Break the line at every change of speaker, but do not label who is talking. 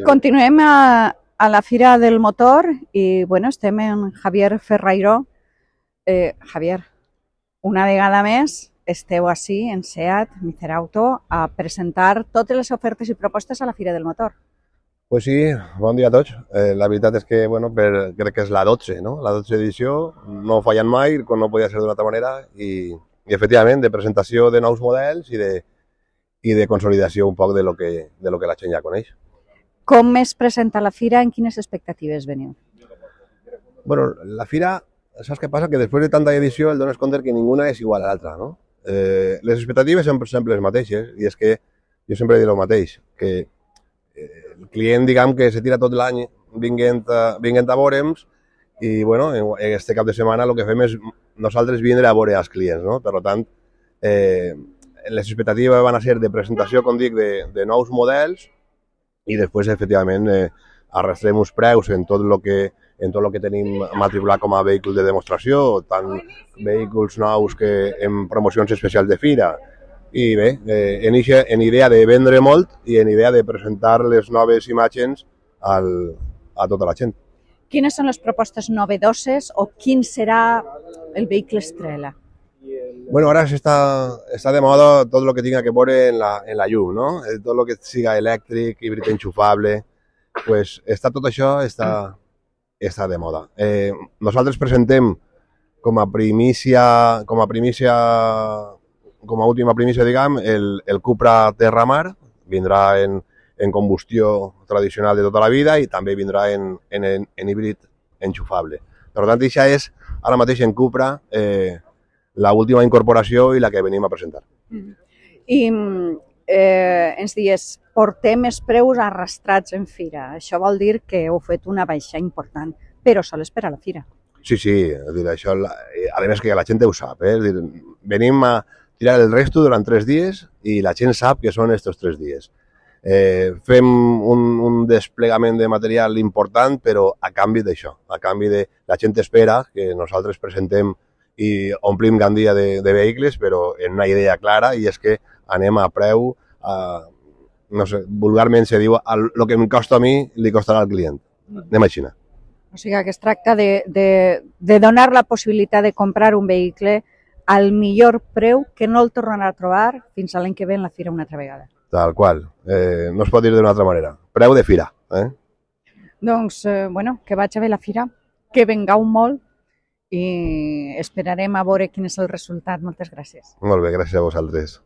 Continuem a la Fira del Motor i bueno, estem amb Javier Ferrairó. Javier, una vegada més esteu ací en SEAT, Micerauto, a presentar totes les ofertes i propostes a la Fira del Motor.
Pues sí, bon dia a tots. La veritat és que bueno, crec que és la 12, no? La 12 edició, no fallant mai, com no podia ser d'una altra manera, i efectivament de presentació de nous models i de consolidació un poc de lo que la gent ja coneix.
Com es presenta la Fira? En quines expectatives veniu?
Bueno, la Fira, saps què passa? Que després de tanta edició el dones compte que ninguna és igual a l'altra, no? Les expectatives són sempre les mateixes, i és que jo sempre dic el mateix, que el client, diguem, que se tira tot l'any vinguent a veure'ns i, bueno, este cap de setmana el que fem és nosaltres vindre a veure els clients, no? Per tant, les expectatives van a ser de presentació, com dic, de nous models i després, efectivament, arrastrem uns preus en tot el que tenim matriculat com a vehicles de demostració, tant vehicles nous que en promocions especials de fira. I bé, en idea de vendre molt i en idea de presentar les noves imatges a tota la gent.
Quines són les propostes novedoses o quin serà el vehicle estrella?
Bueno, ara està de moda tot el que tinga que veure en la llum, no? Tot el que siga elèctric, híbrid enxufable, pues tot això està de moda. Nosaltres presentem com a última primícia, diguem, el Cupra Terramar. Vindrà en combustió tradicional de tota la vida i també vindrà en híbrid enxufable. Per tant, això és ara mateix en Cupra l'última incorporació i la que venim a presentar.
I ens dius, portem els preus arrastrats en fira. Això vol dir que heu fet una baixa important, però sols per a la fira.
Sí, això, a més que la gent ho sap. Venim a tirar el resto durant 3 dies i la gent sap que són estos 3 dies. Fem un desplegament de material important, però a canvi d'això, a canvi de la gent espera que nosaltres presentem i omplim gandia de vehicles, però en una idea clara, i és que anem a preu, no sé, vulgarment se diu, el que em costa a mi li costarà al client. Anem a Xina.
O sigui que es tracta de donar la possibilitat de comprar un vehicle al millor preu que no el tornarà a trobar fins a l'any que ve en la fira una altra vegada.
Tal qual. No es pot dir d'una altra manera. Preu de fira.
Doncs, bueno, que vagi bé la fira, que vengau molt i esperarem a veure quin és el resultat. Moltes gràcies.
Molt bé, gràcies a vosaltres.